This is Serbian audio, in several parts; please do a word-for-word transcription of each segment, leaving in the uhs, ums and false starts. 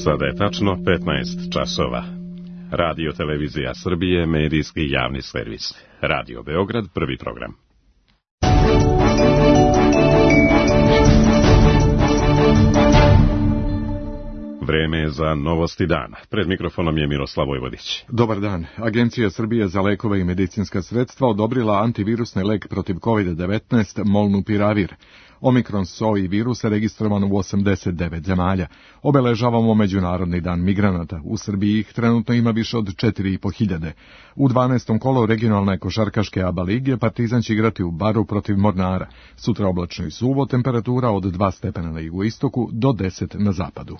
Sada je tačno petnaest časova. Radio Televizija Srbije, medijski javni servis. Radio Beograd, prvi program. Vreme je za novosti dana. Pred mikrofonom je Miroslav Vojvodić. Dobar dan. Agencija Srbije za lekove i medicinska sredstva odobrila antivirusni lek protiv kovid devetnaest Molnupiravir. Omikron S O I virus je registrovan u osamdeset devet zemalja. Obeležavamo Međunarodni dan migranata. U Srbiji ih trenutno ima više od četiri i po hiljade. U dvanaestom kolu regionalne košarkaške A B A lige Partizan će igrati u Baru protiv Mornara. Sutra oblačno i suvo, temperatura od dva stepena na jugoistoku do deset na zapadu.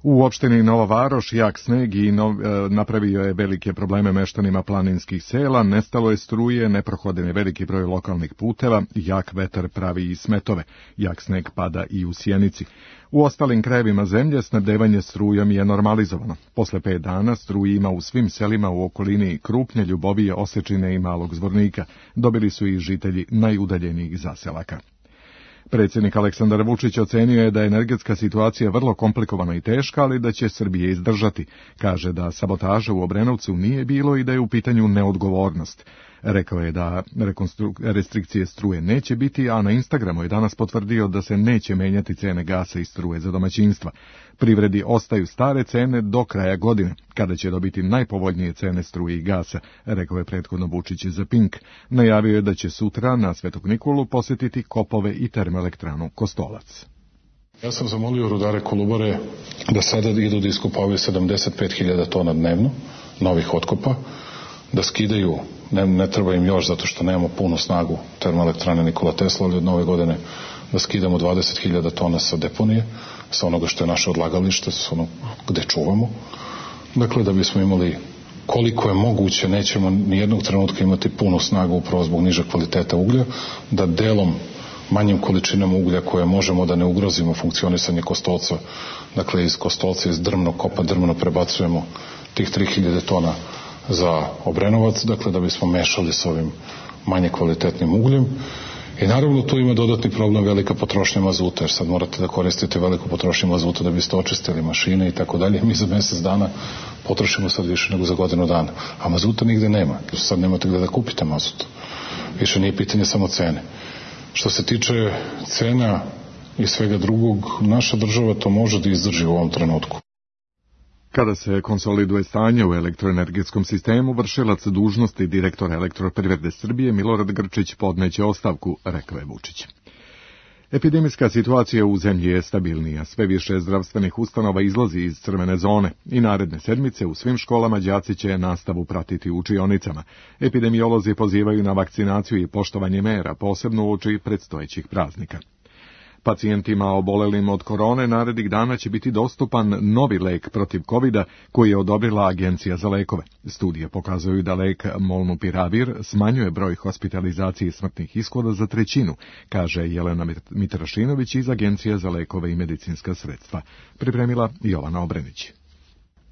U opštini Nova Varoš jak sneg i nov, e, napravio je velike probleme meštanima planinskih sela, nestalo je struje, neprohoden je veliki broj lokalnih puteva, jak vetar pravi i smetove, jak sneg pada i u Sjenici. U ostalim krajevima zemlje snabdevanje strujom je normalizovano. Posle pet dana struji ima u svim selima u okolini Krupnje, Ljubovije, Osečine i Malog Zvornika. Dobili su i žitelji najudaljenijih zaselaka. Predsjednik Aleksandar Vučić ocenio je da je energetska situacija vrlo komplikovana i teška, ali da će Srbije izdržati. Kaže da sabotaža u Obrenovcu nije bilo i da je u pitanju neodgovornost. Rekao je da restrikcije struje neće biti, a na Instagramu je danas potvrdio da se neće menjati cene gasa i struje za domaćinstva. Privredi ostaju stare cene do kraja godine, kada će dobiti najpovoljnije cene struje i gasa, rekao je prethodno Vučić za Pink. Najavio je da će sutra na Svetog Nikolu posjetiti kopove i termoelektranu Kostolac. Ja sam zamolio rudare Kolubare da sada idu da iskopavaju sedamdeset pet hiljada tona dnevno novih otkopa, da skidaju, ne, ne treba im još zato što nemamo punu snagu termoelektrane Nikola Tesla, ali od nove godine da skidamo dvadeset hiljada tona sa deponije, sa onoga što je naše odlagalište, sa onog gde čuvamo. Dakle, da bismo imali koliko je moguće, nećemo nijednog trenutka imati punu snagu upravo zbog niže kvaliteta uglja, da delom manjim količinama uglja koje možemo da ne ugrozimo funkcionisanje Kostolca, dakle iz Kostolca, iz drvnog kopa drvno prebacujemo tih tri hiljade tona za Obrenovac, dakle da bismo mešali s ovim manje kvalitetnim ugljem. I naravno tu ima dodatni problem velika potrošnja mazuta, jer sad morate da koristite veliku potrošnju mazuta da biste očistili mašine i tako dalje. Mi za mjesec dana potrošimo sad više nego za godinu dana, a mazuta nigde nema. Sad nemate gde da kupite mazut. Više nije pitanje samo cene. Što se tiče cena i svega drugog, naša država to može da izdrži u ovom trenutku. Kada se konsoliduje stanje u elektroenergetskom sistemu, vršilac dužnosti direktora Elektroprivrede Srbije Milorad Grčić podneće ostavku, rekao je Vučić. Epidemijska situacija u zemlji je stabilnija. Sve više zdravstvenih ustanova izlazi iz crvene zone i naredne sedmice u svim školama đaci će nastavu pratiti u učionicama. Epidemiolozi pozivaju na vakcinaciju i poštovanje mera, posebno uoči predstojećih praznika. Pacijentima obolelim od korone narednih dana će biti dostupan novi lek protiv kovida koji je odobrila Agencija za lekove. Studije pokazuju da lek Molnupiravir smanjuje broj hospitalizacije i smrtnih ishoda za trećinu, kaže Jelena Mitrašinović iz Agencije za lekove i medicinska sredstva. Pripremila Jovana Obrenić.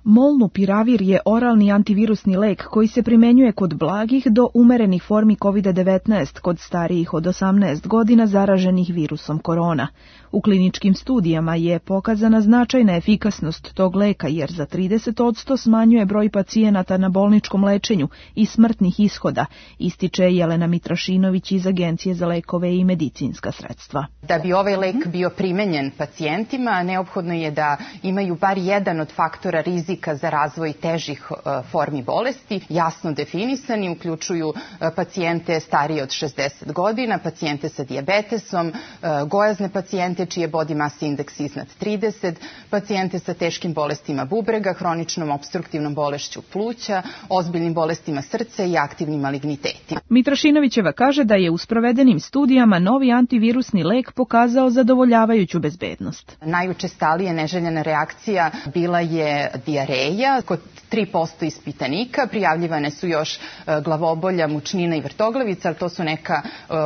Molnupiravir je oralni antivirusni lek koji se primenjuje kod blagih do umerenih formi kovid devetnaest kod starijih od osamnaest godina zaraženih virusom korona. U kliničkim studijama je pokazana značajna efikasnost tog leka jer za trideset posto smanjuje broj pacijenata na bolničkom lečenju i smrtnih ishoda, ističe Jelena Mitrašinović iz Agencije za lekove i medicinska sredstva. Da bi ovaj lek bio primenjen pacijentima, neophodno je da imaju bar jedan od faktora rizika za razvoj težih formi bolesti, jasno definisani, uključuju pacijente starije od šezdeset godina, pacijente sa dijabetesom, gojazne pacijente čiji je body mass indeks iznad trideset, pacijente sa teškim bolestima bubrega, hroničnom opstruktivnom bolešću pluća, ozbiljnim bolestima srca i aktivnim malignitetima. Mitrašinovićeva kaže da je u sprovedenim studijama novi antivirusni lek pokazao zadovoljavajuću bezbednost. Najučestalije neželjena reakcija bila je dijareja dijareja. Kod tri posto ispitanika prijavljivane su još glavobolja, mučnina i vrtoglavica, ali to su neka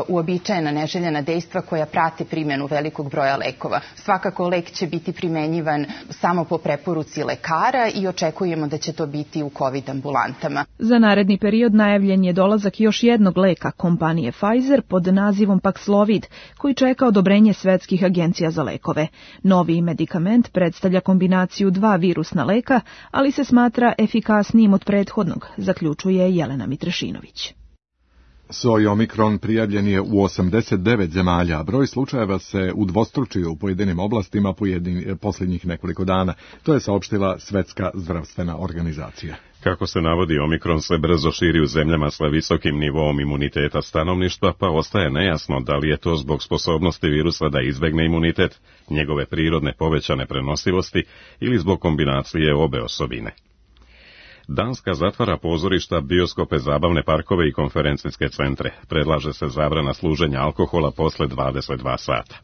uobičajena neželjena dejstva koja prate primjenu velikog broja lekova. Svakako lek će biti primenjivan samo po preporuci lekara i očekujemo da će to biti u COVID ambulantama. Za naredni period najavljen je dolazak još jednog leka kompanije Pfizer pod nazivom Paxlovid, koji čeka odobrenje svetskih agencija za lekove. Novi medikament predstavlja kombinaciju dva virusna leka, ali se smatra efikasnijim od prethodnog, zaključuje Jelena Mitrešinović. Soj omikron prijavljen je u osamdeset devet zemalja, a broj slučajeva se udvostručio u pojedinim oblastima pojedin, posljednjih nekoliko dana. To je saopštila Svetska zdravstvena organizacija. Kako se navodi, omikron se brzo širi u zemljama sa visokim nivoom imuniteta stanovništva, pa ostaje nejasno da li je to zbog sposobnosti virusa da izbegne imunitet, njegove prirodne povećane prenosivosti ili zbog kombinacije obe osobine. Danska zatvara pozorišta, bioskope, zabavne parkove i konferencijske centre. Predlaže se zabrana služenja alkohola posle dvadeset dva sata.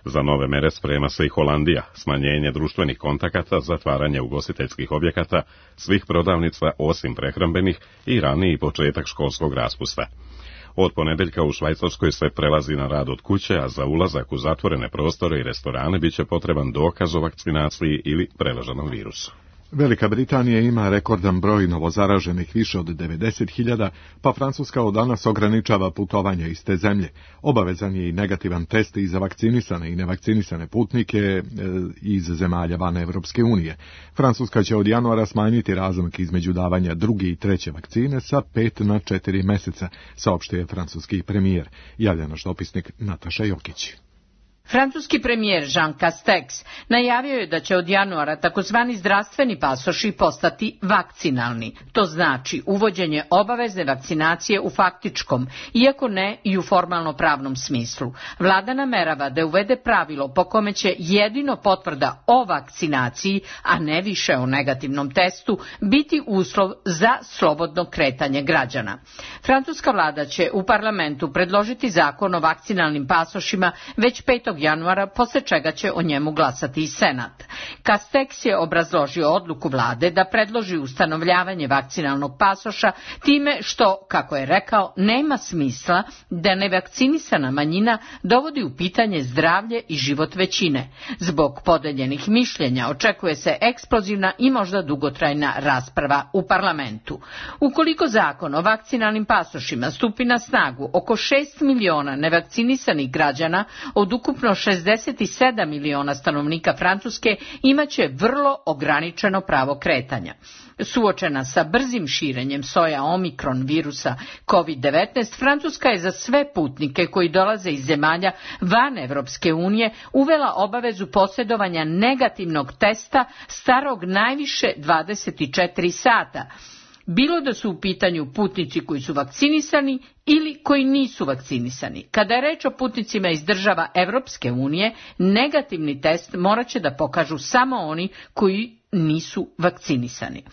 Za nove mere sprema se i Holandija, smanjenje društvenih kontakata, zatvaranje ugostiteljskih objekata, svih prodavnica osim prehrambenih i raniji početak školskog raspusta. Od ponedeljka u Švajcarskoj se prelazi na rad od kuće, a za ulazak u zatvorene prostore i restorane biće potreban dokaz o vakcinaciji ili preleženom virusu. Velika Britanija ima rekordan broj novozaraženih, više od devedeset hiljada, pa Francuska od danas ograničava putovanja iz te zemlje. Obavezan je i negativan test i za vakcinisane i nevakcinisane putnike iz zemalja van Evropske unije. Francuska će od januara smanjiti razmak između davanja druge i treće vakcine sa pet na četiri meseca, saopštio je francuski premijer. Javlja naš dopisnik Nataša Jokić. Francuski premijer Jean Castex najavio je da će od januara takozvani zdravstveni pasoši postati vakcinalni. To znači uvođenje obavezne vakcinacije u faktičkom, iako ne i u formalno pravnom smislu. Vlada namerava da uvede pravilo po kome će jedino potvrda o vakcinaciji, a ne više o negativnom testu, biti uslov za slobodno kretanje građana. Francuska vlada će u parlamentu predložiti zakon o vakcinalnim pasošima već petog januara, posle čega će o njemu glasati i Senat. Castex je obrazložio odluku vlade da predloži ustanovljavanje vakcinalnog pasoša time što, kako je rekao, nema smisla da nevakcinisana manjina dovodi u pitanje zdravlje i život većine. Zbog podeljenih mišljenja očekuje se eksplozivna i možda dugotrajna rasprava u parlamentu. Ukoliko zakon o vakcinalnim pasošima stupi na snagu, oko šest miliona nevakcinisanih građana od ukupno šezdeset sedam miliona stanovnika Francuske imaće vrlo ograničeno pravo kretanja. Suočena sa brzim širenjem soja omikron virusa COVID devetnaest, Francuska je za sve putnike koji dolaze iz zemalja van Evropske unije uvela obavezu posjedovanja negativnog testa starog najviše dvadeset četiri sata, bilo da su u pitanju putnici koji su vakcinisani ili koji nisu vakcinisani. Kada je reč o putnicima iz država Evropske unije, negativni test morat će da pokažu samo oni koji nisu vakcinisani.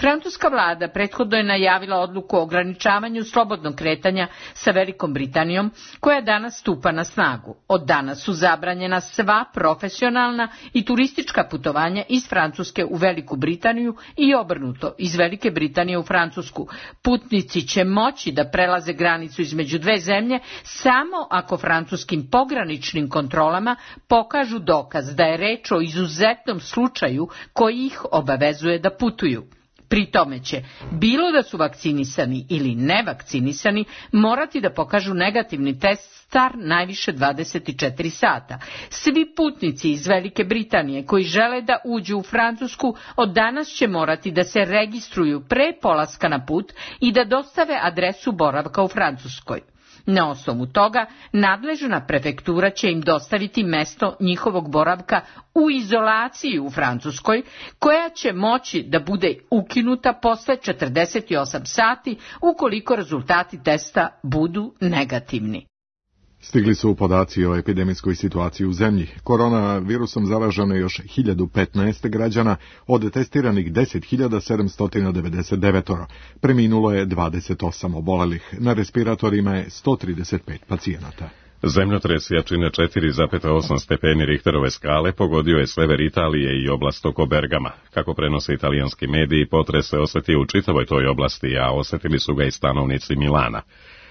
Francuska vlada prethodno je najavila odluku o ograničavanju slobodnog kretanja sa Velikom Britanijom, koja danas stupa na snagu. Od danas su zabranjena sva profesionalna i turistička putovanja iz Francuske u Veliku Britaniju i obrnuto, iz Velike Britanije u Francusku. Putnici će moći da prelaze granicu između dve zemlje samo ako francuskim pograničnim kontrolama pokažu dokaz da je reč o izuzetnom slučaju koji ih obavezuje da putuju. Pri tome će, bilo da su vakcinisani ili nevakcinisani, morati da pokažu negativni test star najviše dvadeset četiri sata. Svi putnici iz Velike Britanije koji žele da uđu u Francusku od danas će morati da se registruju pre polaska na put i da dostave adresu boravka u Francuskoj. Na osnovu toga, nadležna prefektura će im dostaviti mesto njihovog boravka u izolaciji u Francuskoj, koja će moći da bude ukinuta posle četrdeset osam sati ukoliko rezultati testa budu negativni. Stigli su podaci o epidemijskoj situaciji u zemlji. Koronavirusom zaraženo je još hiljadu petnaest građana, od testiranih deset hiljada sedamsto devedeset devet. Preminulo je dvadeset osam obolelih. Na respiratorima je sto trideset pet pacijenata. Zemljotres jačine četiri zarez osam stepeni Richterove skale pogodio je sever Italije i oblast oko Bergama. Kako prenose italijanski mediji, potres se osjetio u čitavoj toj oblasti, a osjetili su ga i stanovnici Milana.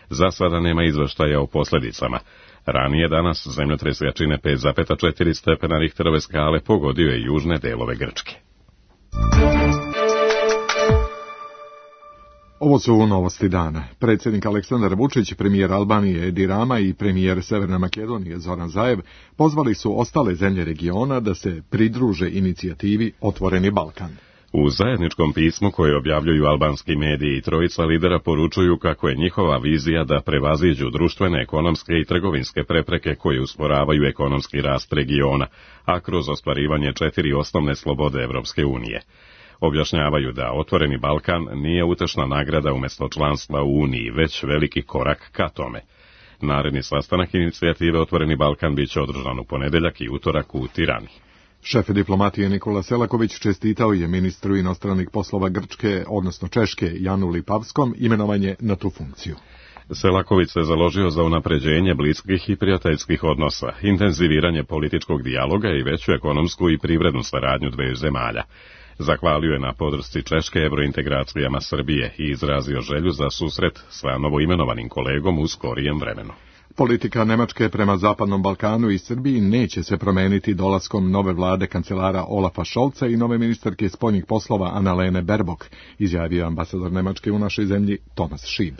Za sada nema izvještaja o posljedicama. Ranije danas zemljotres jačine pet zarez četiri stepena Richterove skale pogodio je južne delove Grčke. Ovo su novosti dana. Predsjednik Aleksandar Vučić, premijer Albanije Edi Rama i premijer Severne Makedonije Zoran Zaev pozvali su ostale zemlje regiona da se pridruže inicijativi Otvoreni Balkan. U zajedničkom pismu koje objavljuju albanski mediji, trojica lidera poručuju kako je njihova vizija da prevaziđu društvene, ekonomske i trgovinske prepreke koje usporavaju ekonomski rast regiona, a kroz ostvarivanje četiri osnovne slobode Evropske unije. Objašnjavaju da Otvoreni Balkan nije utešna nagrada umjesto članstva u Uniji, već veliki korak ka tome. Naredni sastanak inicijative Otvoreni Balkan biće održan u ponedeljak i utorak u Tirani. Šef diplomatije Nikola Selaković čestitao je ministru inostranih poslova Grčke, odnosno Češke, Janu Lipavskom, imenovanje na tu funkciju. Selaković se založio za unapređenje bliskih i prijateljskih odnosa, intenziviranje političkog dijaloga i veću ekonomsku i privrednu saradnju dveju zemalja. Zahvalio je na podršci Češke evrointegracijama Srbije i izrazio želju za susret sa novoimenovanim kolegom u skorijem vremenu. Politika Nemačke prema Zapadnom Balkanu i Srbiji neće se promeniti dolaskom nove vlade kancelara Olafa Scholza i nove ministarke spoljnih poslova Annalene Baerbock, izjavio ambasador Nemačke u našoj zemlji Thomas Schieb.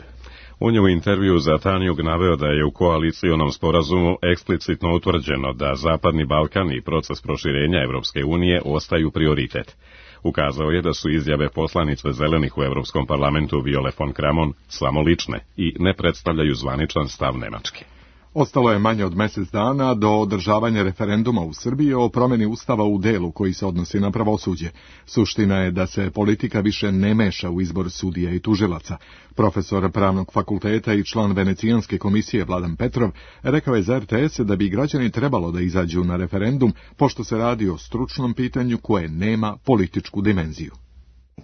On je u intervju za Tanjug naveo da je u koalicijonom sporazumu eksplicitno utvrđeno da Zapadni Balkan i proces proširenja Evropske unije ostaju prioritet. Ukazao je da su izjave poslanice zelenih u Europskom parlamentu Viole von Kramon samo lične i ne predstavljaju zvaničan stav Nemačke. Ostalo je manje od mjesec dana do održavanja referenduma u Srbiji o promjeni ustava u delu koji se odnosi na pravosuđe. Suština je da se politika više ne meša u izbor sudija i tužilaca. Profesor pravnog fakulteta i član Venecijanske komisije Vladan Petrov rekao je za R T S da bi građani trebalo da izađu na referendum, pošto se radi o stručnom pitanju koje nema političku dimenziju.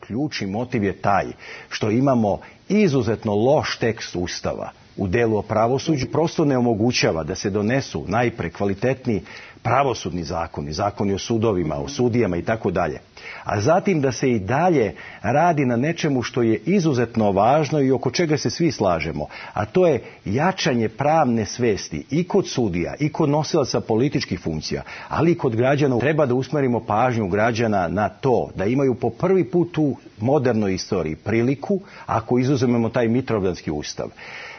Ključni motiv je taj što imamo izuzetno loš tekst ustava u delu o pravosuđu, prosto ne omogućava da se donesu najpre kvalitetni pravosudni zakoni, zakoni o sudovima, o sudijama i tako dalje. A zatim da se i dalje radi na nečemu što je izuzetno važno i oko čega se svi slažemo, a to je jačanje pravne svesti i kod sudija i kod nosilaca političkih funkcija, ali i kod građana. Treba da usmerimo pažnju građana na to da imaju po prvi put u modernoj istoriji priliku, ako izuzmemo taj Mitrovdanski ustav,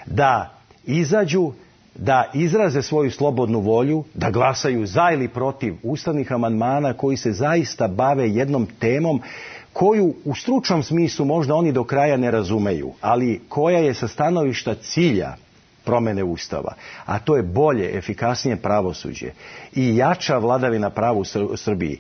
da izađu, da izraze svoju slobodnu volju, da glasaju za ili protiv ustavnih amandmana koji se zaista bave jednom temom koju u stručnom smislu možda oni do kraja ne razumeju, ali koja je sa stanovišta cilja promjene ustava, a to je bolje, efikasnije pravosuđe i jača vladavina prava u Srbiji.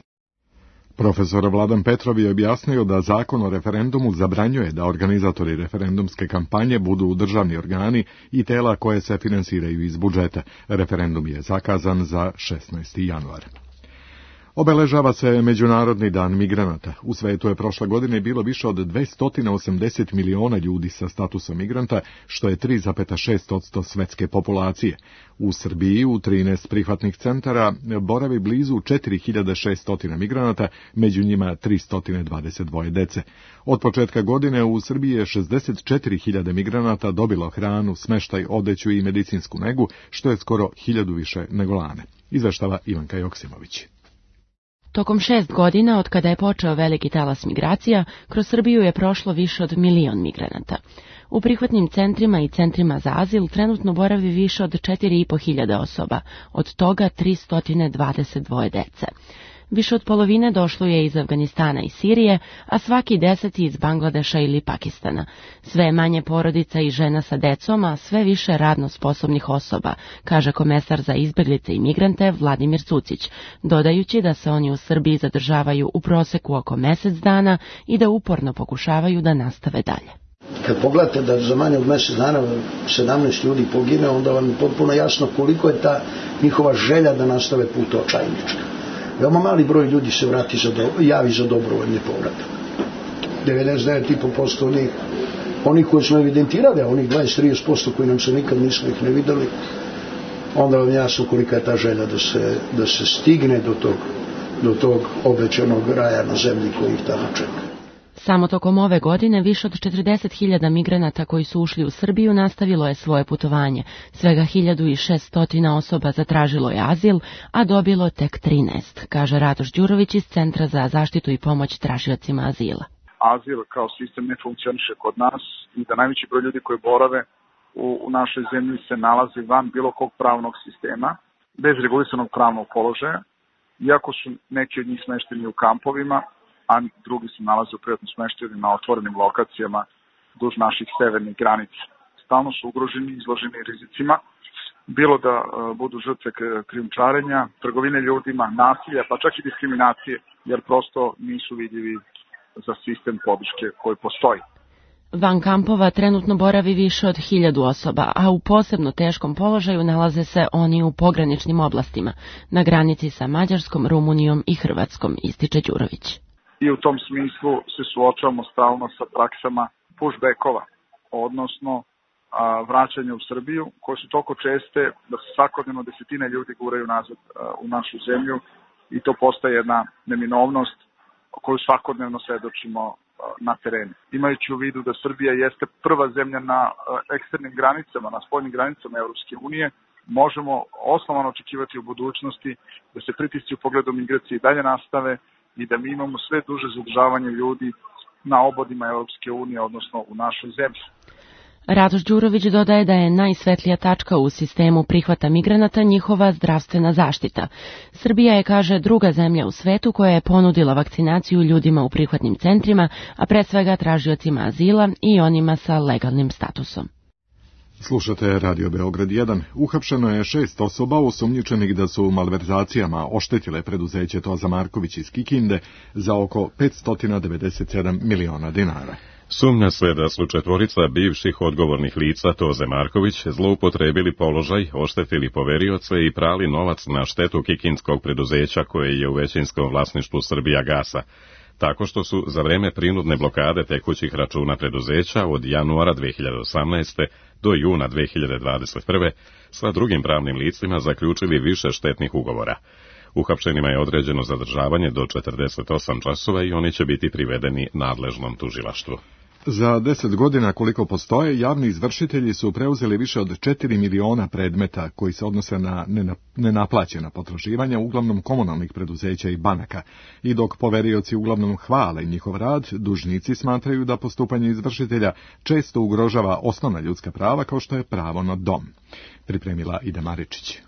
Profesor Vladan Petrov je objasnio da zakon o referendumu zabranjuje da organizatori referendumske kampanje budu državni organi i tela koje se finansiraju iz budžeta. Referendum je zakazan za šesnaesti januar. Obeležava se Međunarodni dan migranata. U svetu je prošle godine bilo više od dvesta osamdeset miliona ljudi sa statusom migranta, što je tri zarez šest posto svetske populacije. U Srbiji u trinaest prihvatnih centara boravi blizu četiri hiljade šesto migranata, među njima tristo dvadeset dva dece. Od početka godine u Srbiji je šezdeset četiri hiljade migranata dobilo hranu, smeštaj, odeću i medicinsku negu, što je skoro hiljadu više nego lane. Izveštava Ivanka Joksimović. Tokom šest godina, od kada je počeo veliki talas migracija, kroz Srbiju je prošlo više od milion migranata. U prihvatnim centrima i centrima za azil trenutno boravi više od četiri i po hiljade osoba, od toga tristo dvadeset dva dece. Više od polovine došlo je iz Afganistana i Sirije, a svaki deseti iz Bangladeša ili Pakistana. Sve je manje porodica i žena sa decom, a sve više radno sposobnih osoba, kaže komesar za izbeglice i migrante Vladimir Cucić, dodajući da se oni u Srbiji zadržavaju u proseku oko mjesec dana i da uporno pokušavaju da nastave dalje. Kad pogledate da za manje od mjesec dana sedamnaest ljudi pogine, onda vam je potpuno jasno koliko je ta njihova želja da nastave put očajnička. Veoma mali broj ljudi se vrati za do, javi za dobrovoljni povratak. devedeset devet i po posto onih, onih koji smo evidentirali, a onih dvadeset do trideset posto koji nam se nikad nismo ih ne videli, onda vam jasno kolika je ta želja da se, da se stigne do tog, do tog obećanog raja na zemlji koji ih tamo čeka. Samo tokom ove godine više od četrdeset hiljada migranata koji su ušli u Srbiju nastavilo je svoje putovanje. Svega hiljadu šesto osoba zatražilo je azil, a dobilo tek trinaest, kaže Radoš Đurović iz Centra za zaštitu i pomoć tražiocima azila. Azil kao sistem ne funkcioniše kod nas i da najveći broj ljudi koji borave u, u našoj zemlji se nalazi van bilo kog pravnog sistema, bez regulisanog pravnog položaja, iako su neki od njih smešteni u kampovima, a drugi se nalaze u privatnom smeštaju na otvorenim lokacijama duž naših severnih granica. Stalno su ugroženi, izloženi rizicima, bilo da uh, budu žrtve krijumčarenja, trgovine ljudima, nasilja, pa čak i diskriminacije, jer prosto nisu vidljivi za sistem podrške koji postoji. Van kampova trenutno boravi više od hiljadu osoba, a u posebno teškom položaju nalaze se oni u pograničnim oblastima, na granici sa Mađarskom, Rumunijom i Hrvatskom, ističe Đurović. I u tom smislu se suočavamo stalno sa praksama pushbackova, odnosno a, vraćanja u Srbiju, koje su toliko česte da se svakodnevno desetine ljudi guraju nazad a, u našu zemlju i to postaje jedna neminovnost koju svakodnevno svedočimo a, na terenu. Imajući u vidu da Srbija jeste prva zemlja na a, eksternim granicama, na spoljnim granicama Evropske unije, možemo osnovano očekivati u budućnosti da se pritisci u pogledu migracije i dalje nastave i da mi imamo sve duže zadržavanje ljudi na obodima Evropske unije, odnosno u našoj zemlji. Radoš Đurović dodaje da je najsvetlija tačka u sistemu prihvata migranata njihova zdravstvena zaštita. Srbija je, kaže, druga zemlja u svetu koja je ponudila vakcinaciju ljudima u prihvatnim centrima, a pre svega tražiocima azila i onima sa legalnim statusom. Slušate Radio Beograd jedan. Uhapšeno je šest osoba osumnjičenih da su malverzacijama oštetile preduzeće Toza Marković iz Kikinde za oko petsto devedeset sedam miliona dinara. Sumnja se da su četvorica bivših odgovornih lica Toze Marković zloupotrebili položaj, oštetili poverioce i prali novac na štetu kikindskog preduzeća koje je u većinskom vlasništvu Srbijagasa, tako što su za vreme prinudne blokade tekućih računa preduzeća od januara dve hiljade osamnaeste. do juna dve hiljade dvadeset prve. sa drugim pravnim licima zaključili više štetnih ugovora. Uhapšenima je određeno zadržavanje do četrdeset osam časova i oni će biti privedeni nadležnom tužilaštvu. Za deset godina koliko postoje, javni izvršitelji su preuzeli više od četiri miliona predmeta koji se odnose na nenaplaćena potraživanja, uglavnom komunalnih preduzeća i banaka. I dok poverioci uglavnom hvale njihov rad, dužnici smatraju da postupanje izvršitelja često ugrožava osnovna ljudska prava kao što je pravo na dom. Pripremila Ida Maričić.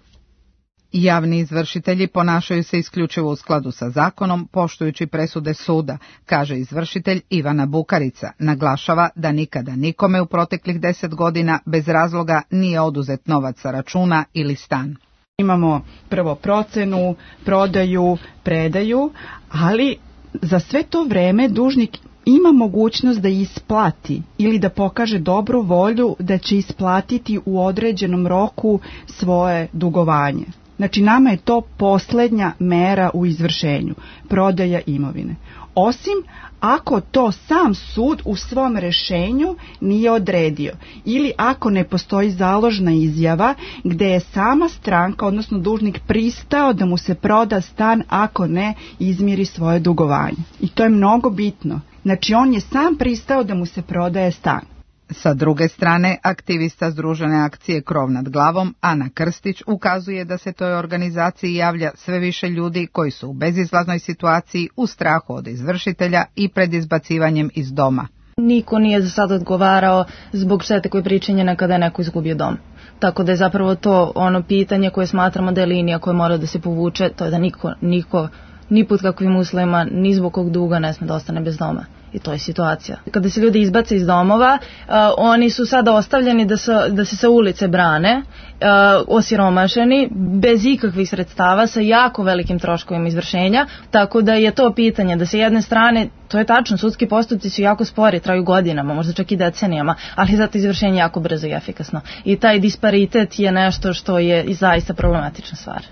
Javni izvršitelji ponašaju se isključivo u skladu sa zakonom, poštujući presude suda, kaže izvršitelj Ivana Bukarica. Naglašava da nikada nikome u proteklih deset godina bez razloga nije oduzet novac sa računa ili stan. Imamo prvo procenu, prodaju, predaju, ali za sve to vreme dužnik ima mogućnost da isplati ili da pokaže dobru volju da će isplatiti u određenom roku svoje dugovanje. Znači, nama je to poslednja mera u izvršenju, prodaja imovine. Osim ako to sam sud u svom rešenju nije odredio ili ako ne postoji založna izjava gde je sama stranka, odnosno dužnik, pristao da mu se proda stan ako ne izmiri svoje dugovanje. I to je mnogo bitno. Znači, on je sam pristao da mu se prodaje stan. Sa druge strane, aktivista Združene akcije Krov nad glavom, Ana Krstić, ukazuje da se toj organizaciji javlja sve više ljudi koji su u bezizlaznoj situaciji, u strahu od izvršitelja i pred izbacivanjem iz doma. Niko nije za sad odgovarao zbog štete koje je pričinjena kada je neko izgubio dom. Tako da je zapravo to ono pitanje koje smatramo da je linija koja mora da se povuče, to je da niko, niko ni pod kakvim uslovima, ni zbog kog duga ne sme da ostane bez doma. I to je situacija. Kada se ljudi izbace iz domova, uh, oni su sada ostavljeni da, sa, da se sa ulice brane, uh, osiromašeni, bez ikakvih sredstava, sa jako velikim troškovima izvršenja, tako da je to pitanje da se jedne strane, to je tačno, sudski postupci su jako spori, traju godinama, možda čak i decenijama, ali zato izvršenje jako brzo i efikasno. I taj disparitet je nešto što je i zaista problematična stvar.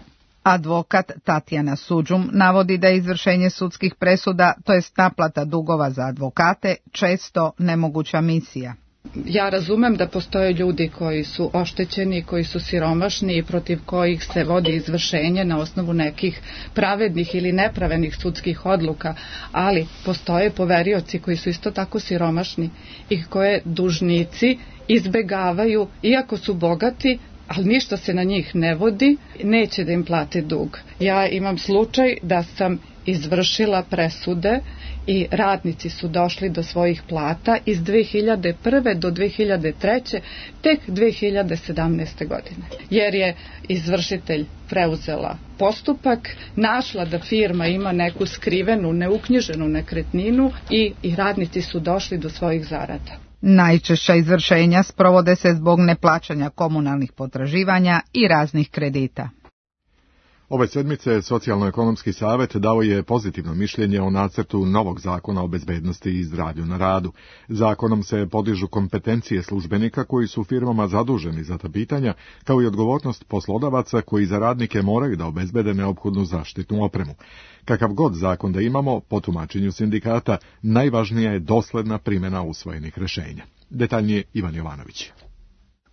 Advokat Tatjana Suđum navodi da je izvršenje sudskih presuda, to jest naplata dugova za advokate, često nemoguća misija. Ja razumem da postoje ljudi koji su oštećeni, koji su siromašni i protiv kojih se vodi izvršenje na osnovu nekih pravednih ili nepravednih sudskih odluka, ali postoje poverioci koji su isto tako siromašni i koje dužnici izbegavaju, iako su bogati, ali ništa se na njih ne vodi, neće da im plate dug. Ja imam slučaj da sam izvršila presude i radnici su došli do svojih plata iz dve hiljade prve do dve hiljade treće tek dve hiljade sedamnaeste. godine. Jer je izvršitelj preuzela postupak, našla da firma ima neku skrivenu, neuknjiženu nekretninu i, i radnici su došli do svojih zarada. Najčešća izvršenja sprovode se zbog neplaćanja komunalnih potraživanja i raznih kredita. Ove sedmice Socijalno-ekonomski savjet dao je pozitivno mišljenje o nacrtu novog zakona o bezbednosti i zdravlju na radu. Zakonom se podižu kompetencije službenika koji su firmama zaduženi za ta pitanja, kao i odgovornost poslodavaca koji za radnike moraju da obezbede neophodnu zaštitnu opremu. Kakav god zakon da imamo, po tumačenju sindikata, najvažnija je dosledna primjena usvojenih rešenja. Detaljnije Ivan Jovanović.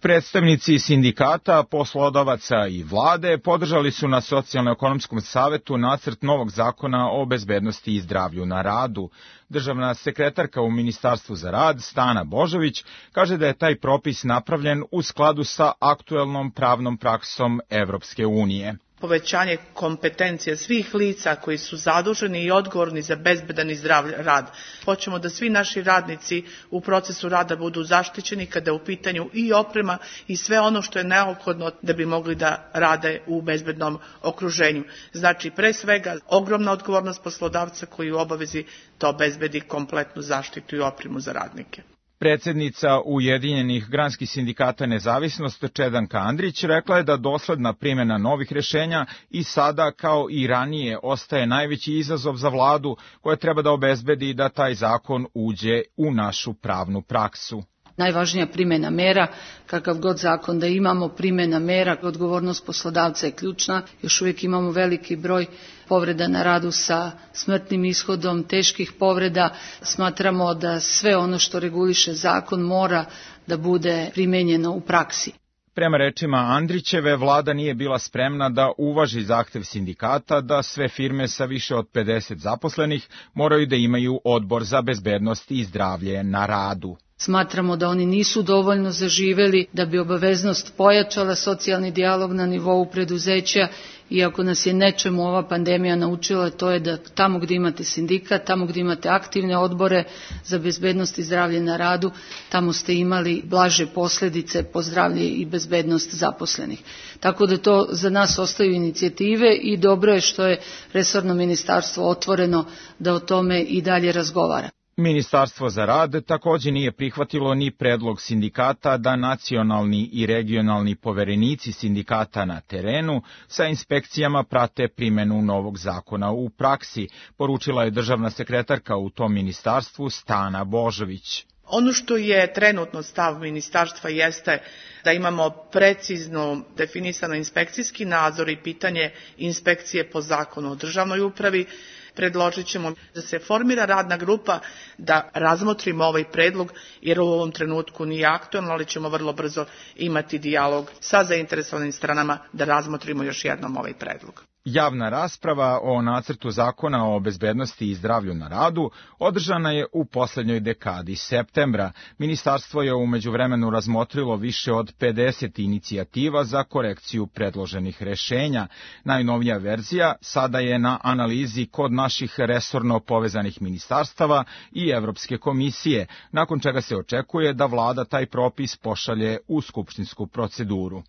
Predstavnici sindikata, poslodavaca i vlade podržali su na Socijalno-ekonomskom savetu nacrt novog zakona o bezbednosti i zdravlju na radu. Državna sekretarka u Ministarstvu za rad, Stana Božović, kaže da je taj propis napravljen u skladu sa aktuelnom pravnom praksom Evropske unije. Povećanje kompetencije svih lica koji su zaduženi i odgovorni za bezbedan i zdrav rad. Hoćemo da svi naši radnici u procesu rada budu zaštićeni kada je u pitanju i oprema i sve ono što je neophodno da bi mogli da rade u bezbednom okruženju. Znači, pre svega, ogromna odgovornost poslodavca koji u obavezi to obezbedi kompletnu zaštitu i opremu za radnike. Predsednica Ujedinjenih granskih sindikata Nezavisnost Čedanka Andrić rekla je da dosledna primjena novih rešenja i sada kao i ranije ostaje najveći izazov za vladu koja treba da obezbedi da taj zakon uđe u našu pravnu praksu. Najvažnija primjena mera, kakav god zakon da imamo, primjena mera, odgovornost poslodavca je ključna. Još uvijek imamo veliki broj povreda na radu sa smrtnim ishodom, teških povreda. Smatramo da sve ono što reguliše zakon mora da bude primenjeno u praksi. Prema rečima Andrićeve, vlada nije bila spremna da uvaži zahtev sindikata da sve firme sa više od pedeset zaposlenih moraju da imaju odbor za bezbednost i zdravlje na radu. Smatramo da oni nisu dovoljno zaživeli da bi obaveznost pojačala socijalni dijalog na nivou preduzeća, iako nas je nečemu ova pandemija naučila, to je da tamo gdje imate sindikat, tamo gdje imate aktivne odbore za bezbednost i zdravlje na radu, tamo ste imali blaže posljedice po zdravlje i bezbednost zaposlenih. Tako da to za nas ostaju inicijative i dobro je što je resorno ministarstvo otvoreno da o tome i dalje razgovara. Ministarstvo za rad također nije prihvatilo ni predlog sindikata da nacionalni i regionalni poverenici sindikata na terenu sa inspekcijama prate primjenu novog zakona u praksi, poručila je državna sekretarka u tom ministarstvu Stana Božović. Ono što je trenutno stav ministarstva jeste da imamo precizno definisano inspekcijski nadzor i pitanje inspekcije po zakonu o državnoj upravi. Predložit ćemo da se formira radna grupa da razmotrimo ovaj predlog, jer u ovom trenutku nije aktualno, ali ćemo vrlo brzo imati dijalog sa zainteresovanim stranama da razmotrimo još jednom ovaj predlog. Javna rasprava o nacrtu zakona o bezbednosti i zdravlju na radu održana je u poslednjoj dekadi septembra. Ministarstvo je u međuvremenu razmotrilo više od pedeset inicijativa za korekciju predloženih rešenja. Najnovija verzija sada je na analizi kod naših resorno povezanih ministarstava i Evropske komisije, nakon čega se očekuje da vlada taj propis pošalje u skupštinsku proceduru.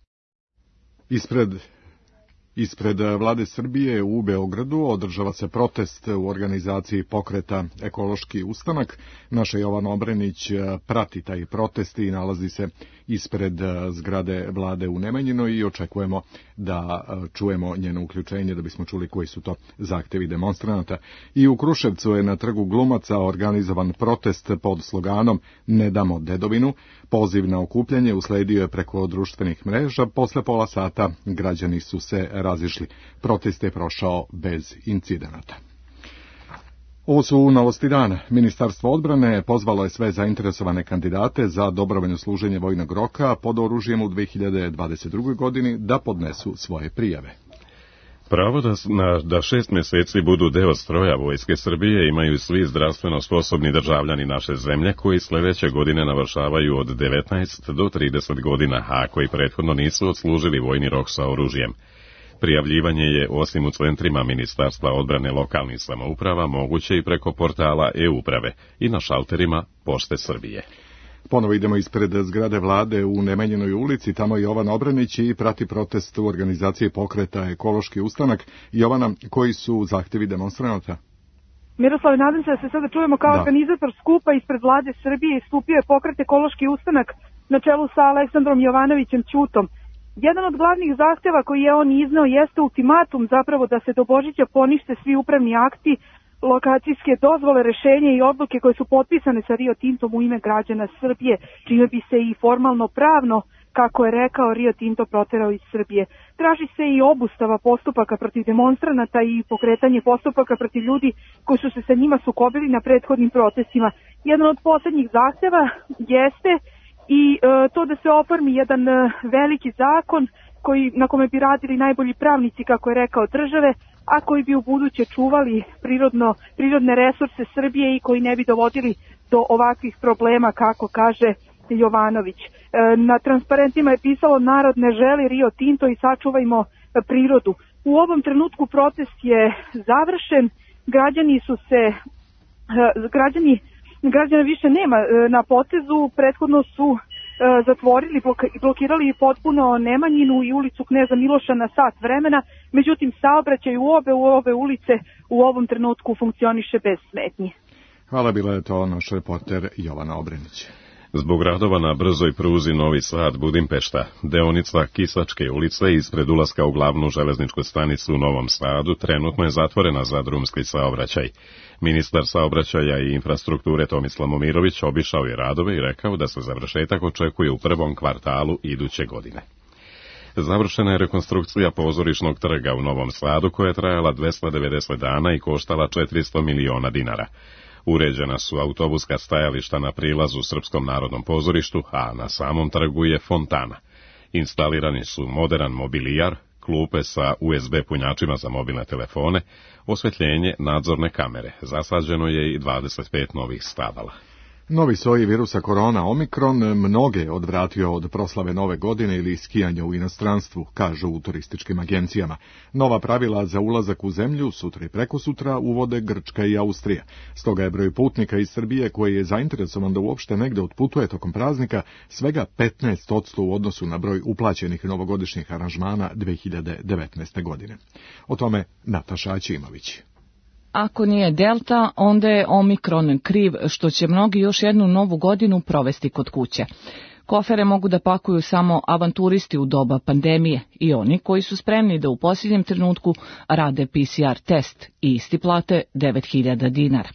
Ispred Ispred vlade Srbije u Beogradu održava se protest u organizaciji pokreta Ekološki ustanak. Naša Jovana Obrenić prati taj protest i nalazi se ispred zgrade vlade u Nemanjinoj i očekujemo da čujemo njeno uključenje da bismo čuli koji su to zahtevi demonstranata. I u Kruševcu je na trgu Glumaca organizovan protest pod sloganom Ne damo dedovinu. Poziv na okupljanje usledio je preko društvenih mreža. Posle pola sata građani su se razišli. Protest je prošao bez incidenata. Ovo su novosti dana. Ministarstvo odbrane pozvalo je sve zainteresovane kandidate za dobrovoljno služenje vojnog roka pod oružjem u dve hiljade dvadeset drugoj. godini da podnesu svoje prijave. Pravo da, na, da šest mjeseci budu deo stroja Vojske Srbije imaju svi zdravstveno sposobni državljani naše zemlje koji sljedeće godine navršavaju od devetnaest do trideset godina, a koji prethodno nisu odslužili vojni rok sa oružjem. Prijavljivanje je, osim u centrima Ministarstva odbrane lokalnih samouprava, moguće i preko portala e-uprave i na šalterima Pošte Srbije. Ponovo idemo ispred zgrade vlade u Nemanjinoj ulici, tamo je Jovan Obranić i prati protest u organizaciji pokreta Ekološki ustanak. Jovana, koji su zahtjevi demonstranata? Miroslav, nadam se da se sada čujemo kao da. Organizator skupa ispred vlade Srbije istupio je pokret Ekološki ustanak na čelu sa Aleksandrom Jovanovićem Ćutom. Jedan od glavnih zahtjeva koji je on izneo jeste ultimatum zapravo da se do Božića ponište svi upravni akti, lokacijske dozvole, rešenje i odluke koje su potpisane sa Rio Tintom u ime građana Srbije, čime bi se i formalno pravno, kako je rekao, Rio Tinto proterao iz Srbije. Traži se i obustava postupaka protiv demonstranata i pokretanje postupaka protiv ljudi koji su se sa njima sukobili na prethodnim protestima. Jedan od posljednjih zahtjeva jeste i e, to da se oformi jedan e, veliki zakon koji, na kome bi radili najbolji pravnici, kako je rekao, države, a koji bi u buduće čuvali prirodno, prirodne resurse Srbije i koji ne bi dovodili do ovakvih problema, kako kaže Jovanović. E, na transparentima je pisalo: narod ne želi Rio Tinto i sačuvajmo prirodu. U ovom trenutku protest je završen, građani su se, e, građani, građana više nema e, na potezu, prethodno su zatvorili, blokirali potpuno Nemanjinu i ulicu Kneza Miloša na sat vremena, međutim saobraćaj u obe, u ove ulice u ovom trenutku funkcioniše bez smetnji. Hvala, bila je to naš reporter Jovana Obrenić. Zbog radova na brzoj pruzi Novi Sad Budimpešta, deonica Kisačke ulice ispred ulaska u glavnu železničku stanicu u Novom Sadu trenutno je zatvorena za drumski saobraćaj. Ministar saobraćaja i infrastrukture Tomislav Momirović obišao je radove i rekao da se završetak očekuje u prvom kvartalu iduće godine. Završena je rekonstrukcija pozorišnog trga u Novom Sadu koja je trajala dvesta devedeset dana i koštala četiristo miliona dinara. Uređena su autobuska stajališta na prilazu Srpskom narodnom pozorištu, a na samom trgu je fontana. Instalirani su modern mobilijar, klupe sa U S B punjačima za mobilne telefone, osvetljenje, nadzorne kamere. Zasađeno je i dvadeset pet novih stabala. Novi soj virusa korona Omikron mnoge odvratio od proslave nove godine ili skijanja u inostranstvu, kažu u turističkim agencijama. Nova pravila za ulazak u zemlju sutra i prekosutra uvode Grčka i Austrija. Stoga je broj putnika iz Srbije koji je zainteresovan da uopšte negde otputuje tokom praznika svega petnaest posto u odnosu na broj uplaćenih novogodišnjih aranžmana dve hiljade devetnaeste. godine. O tome Nataša Aćimović. Ako nije Delta, onda je Omikron kriv što će mnogi još jednu novu godinu provesti kod kuće. Kofere mogu da pakuju samo avanturisti u doba pandemije i oni koji su spremni da u posljednjem trenutku rade P C R test i isti plate devet hiljada dinara.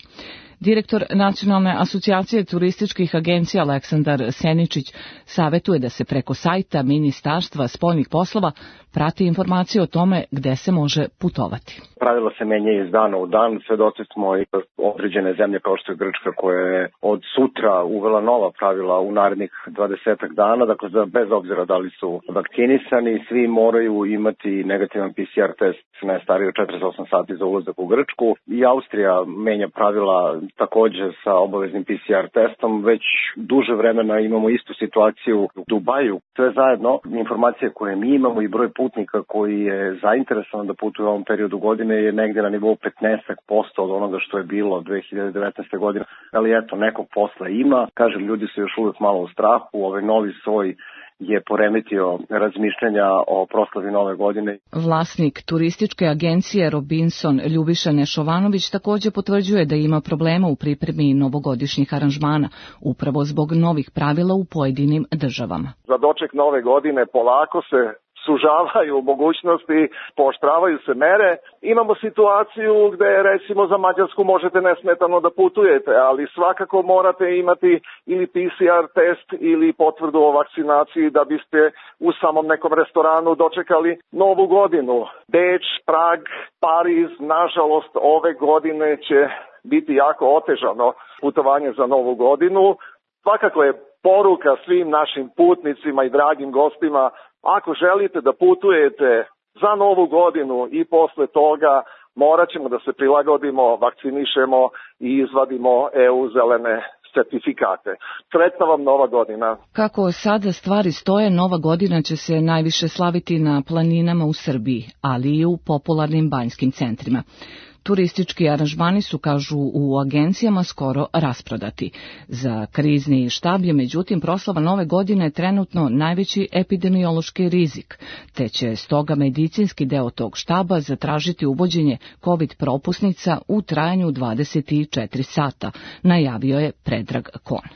Direktor Nacionalne asocijacije turističkih agencija Aleksandar Seničić savjetuje da se preko sajta Ministarstva spoljnih poslova prati informacije o tome gde se može putovati. Pravila se menjaju iz dana u dan, svedoci smo i određene zemlje kao što je Grčka koja je od sutra uvela nova pravila u narednih dvadesetak dana, dakle bez obzira da li su vakcinisani, svi moraju imati negativan P C R test ne stariji od četrdeset osam sati za ulazak u Grčku. I Austrija menja pravila također sa obaveznim P C R testom, već duže vremena imamo istu situaciju u Dubaju. Sve zajedno, informacije koje mi imamo i broj putnika koji je zainteresovan da putuje u ovom periodu godine je negdje na nivou petnaest posto od onoga što je bilo dve hiljade devetnaeste. godine. Ali eto, nekog posla ima. Kažem, ljudi su još uvijek malo u strahu. Ovaj novi soj je poremetio razmišljanja o proslavi nove godine. Vlasnik turističke agencije Robinson Ljubiša Nešovanović također potvrđuje da ima problema u pripremi novogodišnjih aranžmana, upravo zbog novih pravila u pojedinim državama. Za doček nove godine polako se sužavaju mogućnosti, pooštravaju se mere. Imamo situaciju gde recimo za Mađarsku možete nesmetano da putujete, ali svakako morate imati ili P C R test ili potvrdu o vakcinaciji da biste u samom nekom restoranu dočekali novu godinu. Beč, Prag, Pariz, nažalost ove godine će biti jako otežano putovanje za Novu godinu. Svakako je poruka svim našim putnicima i dragim gostima, ako želite da putujete za Novu godinu i posle toga, morat ćemo da se prilagodimo, vakcinišemo i izvadimo E U zelene certifikate. Sretna vam Nova godina. Kako sada stvari stoje, Nova godina će se najviše slaviti na planinama u Srbiji, ali i u popularnim banjskim centrima. Turistički aranžmani su, kažu u agencijama, skoro rasprodati. Za krizni štab je, međutim, proslava Nove godine trenutno najveći epidemiološki rizik, te će stoga medicinski deo tog štaba zatražiti uvođenje COVID propusnica u trajanju dvadeset četiri sata, najavio je Predrag Kon.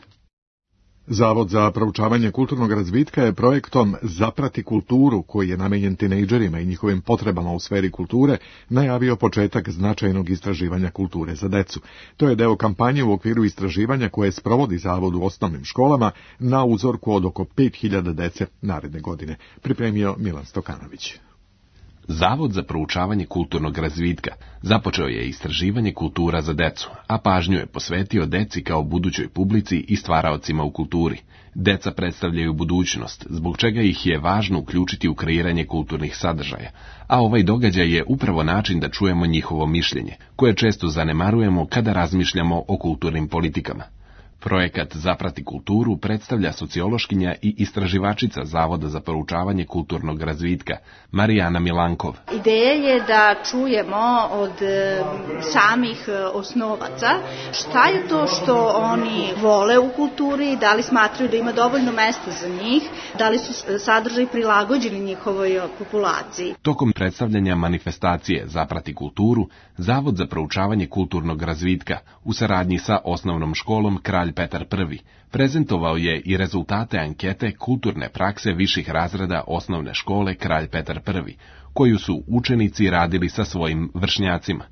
Zavod za proučavanje kulturnog razvitka je projektom Zaprati kulturu, koji je namenjen tinejdžerima i njihovim potrebama u sferi kulture, najavio početak značajnog istraživanja kulture za decu. To je deo kampanje u okviru istraživanja koje sprovodi Zavod u osnovnim školama na uzorku od oko pet hiljada dece naredne godine, pripremio Milan Stokanović. Zavod za proučavanje kulturnog razvitka započeo je istraživanje kultura za decu, a pažnju je posvetio deci kao budućoj publici i stvaraocima u kulturi. Deca predstavljaju budućnost, zbog čega ih je važno uključiti u kreiranje kulturnih sadržaja, a ovaj događaj je upravo način da čujemo njihovo mišljenje, koje često zanemarujemo kada razmišljamo o kulturnim politikama. Projekat Zaprati kulturu predstavlja sociološkinja i istraživačica Zavoda za proučavanje kulturnog razvitka, Marijana Milankov. Ideja je da čujemo od samih osnovaca šta je to što oni vole u kulturi, da li smatraju da ima dovoljno mesta za njih, da li su sadržaji prilagođeni njihovoj populaciji. Tokom predstavljanja manifestacije Zaprati kulturu, Zavod za proučavanje kulturnog razvitka u saradnji sa osnovnom školom Kralj Petar Prvi prezentovao je i rezultate ankete kulturne prakse viših razreda osnovne škole Kralj Petar Prvi, koju su učenici radili sa svojim vršnjacima.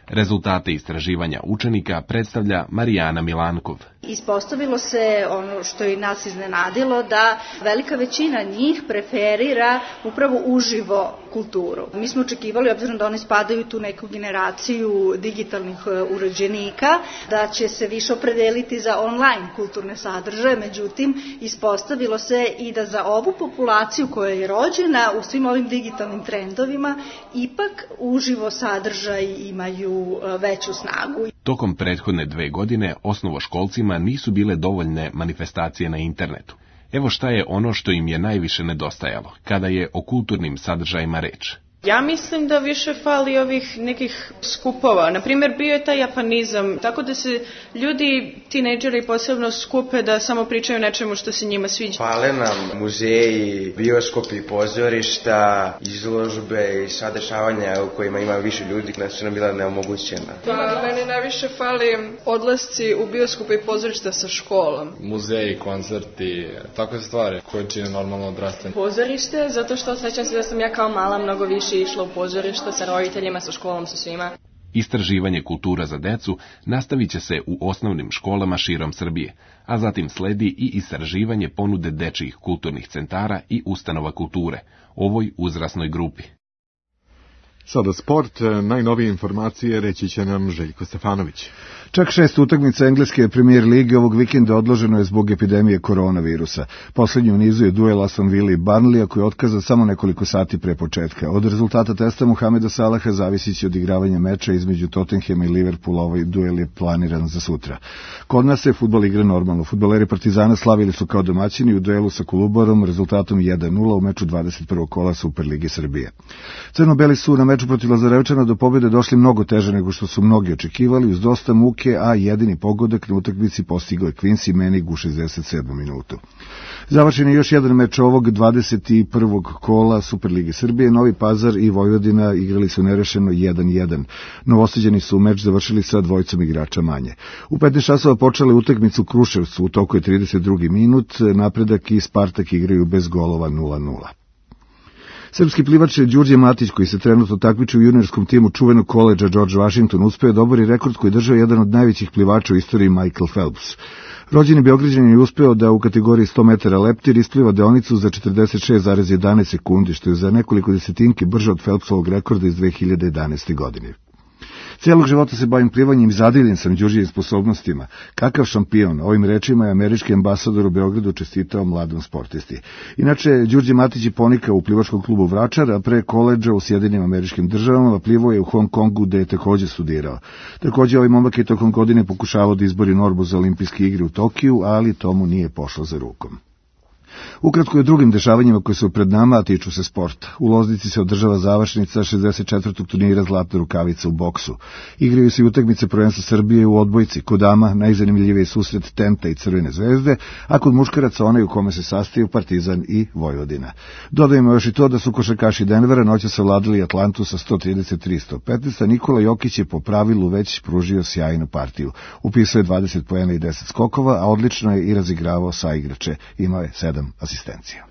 Rezultate istraživanja učenika predstavlja Marijana Milankov. Ispostavilo se ono što je nas iznenadilo, da velika većina njih preferira upravo uživo kulturu. Mi smo očekivali, obzirom da oni spadaju tu neku generaciju digitalnih uređenika, da će se više opredeliti za online kulturne sadržaje, međutim ispostavilo se i da za ovu populaciju koja je rođena u svim ovim digitalnim trendovima, ipak uživo sadržaj imaju veću snagu. Tokom prethodne dve godine osnovoškolcima nisu bile dovoljne manifestacije na internetu. Evo šta je ono što im je najviše nedostajalo, kada je o kulturnim sadržajima reč. Ja mislim da više fali ovih nekih skupova. Naprimjer, bio je taj japanizam, tako da se ljudi, tinejdžeri posebno skupe da samo pričaju nečemu što se njima sviđa. Fale nam muzeji, bioskopi, pozorišta, izložbe i sva dešavanja u kojima ima više ljudi, koja su nam bila neomogućena. Pa, meni najviše fali odlasci u bioskope i pozorišta sa školom. Muzeji, koncerti, takve stvari koje čine normalno odrastanje. Pozorište, zato što osjećam se da sam ja kao mala mnogo više išla u pozorište sa roditeljima, sa školom, sa svima. Istraživanje kultura za decu nastavit će se u osnovnim školama širom Srbije, a zatim sledi i istraživanje ponude dečijih kulturnih centara i ustanova kulture, ovoj uzrasnoj grupi. Sada sport, najnovije informacije reći će nam Željko Stefanović. Čak šest utakmica engleske premijer lige ovog vikenda odloženo je zbog epidemije koronavirusa. Poslednji u nizu je duel Aston Villa i Burnleya koji je otkazan samo nekoliko sati pre početka. Od rezultata testa Mohameda Salaha zavisit će odigravanje meča između Tottenhama i Liverpoola. Ovaj duel je planiran za sutra. Kod nas se fudbal igra normalno. Fudbaleri Partizana slavili su kao domaćini u duelu sa Kolubarom rezultatom jedan nula u meču dvadeset prvog kola Superlige Srbije. Crno-beli su na meču protiv Lazarevčana do pobjede došli mnogo teže nego što su mnogi očekivali, uz dosta muke, a jedini pogodak na utakmici postigao je Quincy Menig u šezdeset sedmom minutu. Završen je još jedan meč ovog dvadeset prvog kola Superlige Srbije. Novi Pazar i Vojvodina igrali su nerešeno jedan jedan. Novosađani su meč završili sa dvojicom igrača manje. U petnaest časova počela utakmicu u Kruševcu, u toku je trideset drugi minut, Napredak i Spartak igraju bez golova nula nula. Srpski plivač Đurđe Matić, koji se trenutno takmiči u juniorskom timu čuvenog koledža George Washington, uspeo da obori rekord koji držao jedan od najvećih plivača u istoriji Michael Phelps. Rođeni Beograđanin je uspeo da u kategoriji sto metara leptir ispliva deonicu za četrdeset šest zarez jedanaest sekundi, što je za nekoliko desetinke brže od Phelpsovog rekorda iz dve hiljade jedanaeste. godine. Cijelog života se bavim plivanjem i zadivljen sam Đurđijim sposobnostima. Kakav šampion, ovim rečima je američki ambasador u Beogradu čestitao mladom sportisti. Inače, Đurđe Matić je ponikao u plivačkom klubu Vračar, a pre koledža u Sjedinim Američkim Državama plivao je u Hong Kongu, gde je takođe studirao. Takođe, ovaj momak je tokom godine pokušavao da izbori normu za olimpijske igre u Tokiju, ali tomu nije pošlo za rukom. Ukratko je drugim dešavanjima koje su pred nama, a tiču se sporta. U Loznici se održava završnica šezdeset četvrtog turnira Zlatna rukavica u boksu. Igraju se i utakmice prvenstva Srbije u odbojci. Kod dama najzanimljiviji susret Tenta i Crvene zvezde, a kod muškaraca onaj u kome se sastaju Partizan i Vojvodina. Dodajemo još i to da su košarkaši Denvera noćas savladali Atlantu sa sto trideset tri sto petnaest, a Nikola Jokić je po pravilu već pružio sjajnu partiju. Upisao je dvadeset poena i deset skokova, a odlično je i razigravao saigrače. Imao je sedam asistencija.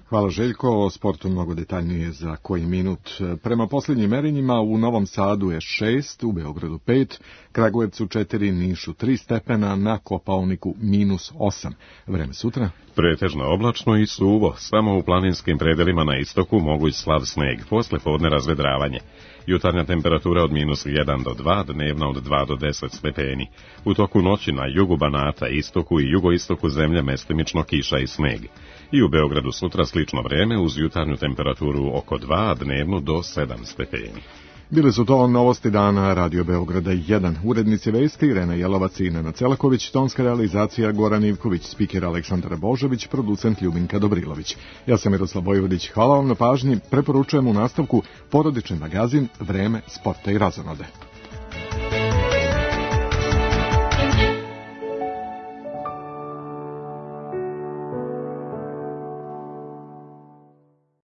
Hvala Željko, o sportu mnogo detaljnije za koji minut. Prema posljednjim merenjima u Novom Sadu je šest, u Beogradu pet, Kragujevcu četiri, Nišu tri stepena, na Kopaoniku minus osam. Vreme sutra? Pretežno oblačno i suvo, samo u planinskim predelima na istoku moguć slab sneg, posle podne razvedravanje. Jutarnja temperatura od minus jedan do dva, dnevna od dva do deset stepeni. U toku noći na jugu Banata, istoku i jugoistoku zemlje mestimično kiša i sneg. I u Beogradu sutra slično vreme uz jutarnju temperaturu oko dva, a dnevnu do sedam stepeni. Bile su to novosti dana Radio Beograda jedan. Urednici vesti Irena Jelovac i Nenad Celaković, tonska realizacija Goran Ivković, spiker Aleksandar Božović, producent Ljubinka Dobrilović. Ja sam Miroslav Vojvodić, hvala vam na pažnji, preporučujem u nastavku porodični magazin Vreme sporta i razonode.